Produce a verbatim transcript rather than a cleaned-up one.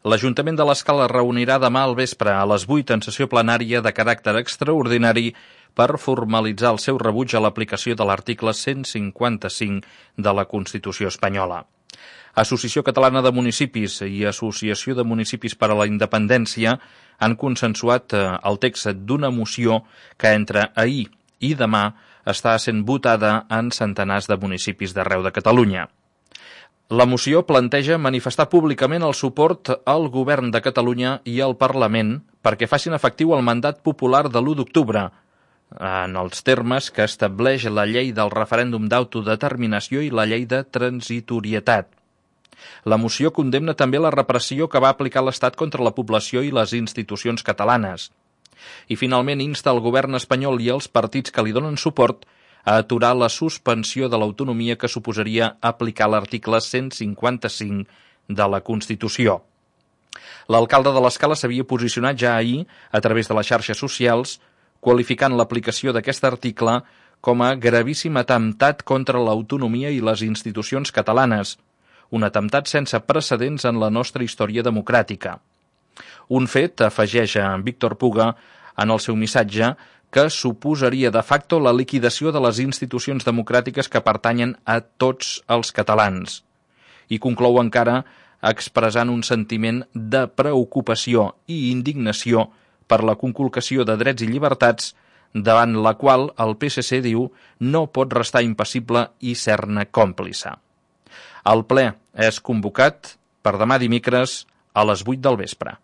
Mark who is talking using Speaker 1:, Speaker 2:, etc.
Speaker 1: L'Ajuntament de l'Escala es reunirà demà al vespre a les vuit en sessió plenària de caràcter extraordinari per formalitzar el seu rebuig a l'aplicació de l'article cent cinquanta-cinc de la Constitució espanyola. Associació Catalana de Municipis i Associació de Municipis per a la Independència han consensuat el text d'una moció que entre ahir i demà està sent votada en centenars de municipis d'arreu de Catalunya. La moció planteja manifestar públicament el suport al Govern de Catalunya i al Parlament perquè facin efectiu el mandat popular de l'u d'octubre, en els termes que estableix la llei del referèndum d'autodeterminació i la llei de transitorietat. La moció condemna també la repressió que va aplicar l'Estat contra la població i les institucions catalanes. I finalment insta el govern espanyol i els partits que li donen suport a aturar la suspensió de l'autonomia que suposaria aplicar l'article cent cinquanta-cinc de la Constitució. L'alcalde de l'Escala s'havia posicionat ja ahir a través de les xarxes socials, qualificant l'aplicació d'aquest article com a gravíssim atemptat contra l'autonomia i les institucions catalanes, un atemptat sense precedents en la nostra història democràtica. Un fet, afegeix en Víctor Puga en el seu missatge, que suposaria de facto la liquidació de les institucions democràtiques que pertanyen a tots els catalans. I conclou encara expressant un sentiment de preocupació i indignació per la conculcació de drets i llibertats, davant la qual el P S C, diu, no pot restar impassible i ser-ne còmplice. El ple és convocat per demà dimecres a les vuit del vespre.